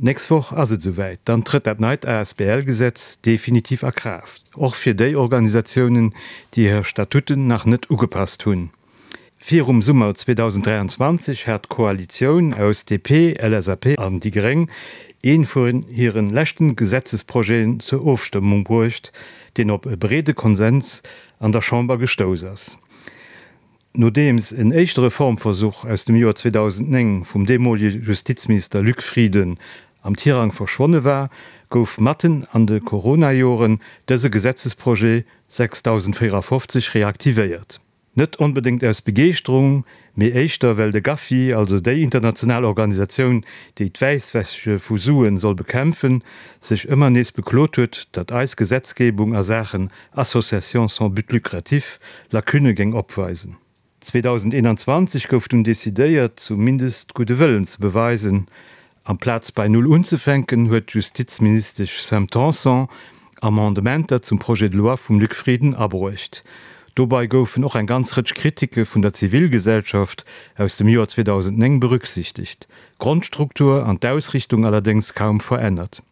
D'nächst Woch ass et esouwäit, dann trëtt dat neit ASBL-Gesetz definitiv a Kraaft, och fir déi Organisatiounen, déi hir Statuten nach net ugepasst hunn. Virum Summer 2023 hat d'Koalitioun aus DP, LSAP an déi Gréng ee vun hire leschten Gesetzesprojeten zur Ofstëmmung bruecht, deen op e breede Konsens an der Chamber gestouss ass. Nodeems en éischte Reformversuch aus dem Joer 2009 vum deemolege Justizminister Luc Frieden am Tirang verschwonne war, gouf matten an de Corona-Joren dëse Gesetzesprojet 6054 reaktivéiert. Net onbedéngt aus Begeeschterung, mee éischter well de GAFI, also déi international Organisatioun, déi d'Wäisswäsche vu Suen soll bekämpfen, sech ëmmer nees beklot huet, datt eis Gesetzgebung a Saachen Association sans but lucratif Lacunne géing opweisen. 2021 gouf dunn decidéiert, zumindest gudde Wëllen ze beweisen. Amplaz bei Null unzefänken, huet d'Justizministesch Sam Tanson Amendementer zum Projet de loi vum Luc Frieden abruecht. Dobei goufen och eng ganz Rëtsch Kritike vun der Zivilgesellschaft aus dem Joer 2009 berücksichtegt, d'Grondstruktur an d'Ausrichtung allerdéngs kaum verännert.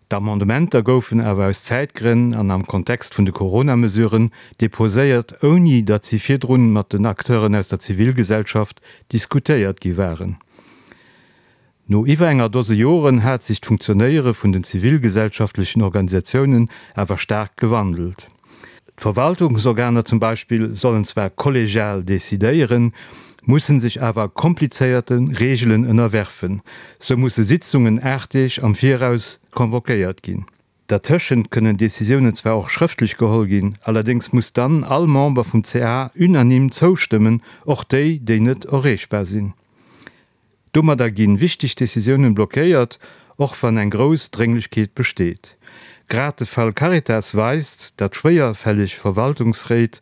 D'Amendementer goufen awer aus Zäitgrënn an am Kontext vun de Corona-Mesuren deposéiert, ouni datt si virdrun mat den Acteuren aus der Zivilgesellschaft diskutéiert gi waren. No iwwer enger Dose Joren hat sech d'Funktionéiere vun den zivilgesellschaftlechen Organisatiounen awer staark gewandelt. D'Verwaltungsorganer zum Beispill sollen zwar kollegial decidéieren, mussen sech awer komplizéierte Reegelen ënnerwerfen. Sou musse Sitzungen 8 Deeg am Viraus convoquéiert ginn. Dertëschent kënnen Decisiounen zwar och schrëftlech geholl ginn, allerdéngs muss dann all Member vum ca unanime zoustëmmen, och déi, déi net erreechbar sinn. Domadder ginn wichteg Decisiounen blockéiert, och wann eng grouss Drénglechkeet besteet. Grad de Fall Caritas weist, datt schwéierfälleg Verwaltungsréit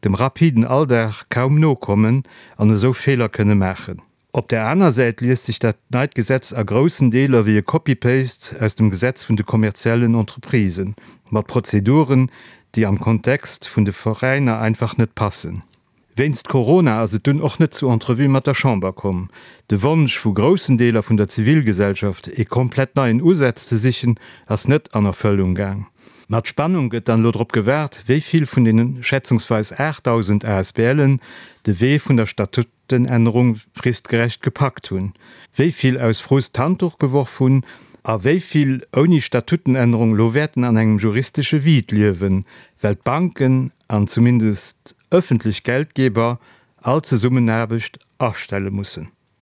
dem rapiden Alldag kaum nokommen an esou Feeler kënne maachen. Op der aner Säit liest sech dat neit Gesetz a groussen Deeler wéi e Copy-Paste aus dem Gesetz vun de kommerziellen Entreprisen, mat Prozeduren, déi am Kontext vun de Veräiner einfach net passen. Wéinst Corona ass et dunn och net zu Entrevuë mat der Chamber komm. De Wonsch vu groussen Deeler vun der Zivilgesellschaft, ee komplett neien Usaz ze sichen, ass net an Erfëllung gaang. Mat Spannung gëtt dann elo drop gewaart, wéi vill vun deene schätzungsweis 8.000 ASBLen de Wee vun der Statutenännerung fristgerecht gepackt hunn, wéi vill aus Frust d'Handduch geworf hunn a wéi vill ouni Statutenännerung elo wäerten an engem juristesche Vide liewen, well d'Banken an zumindest ëffentlech Geldgeber all Zesummenaarbecht astelle mussen.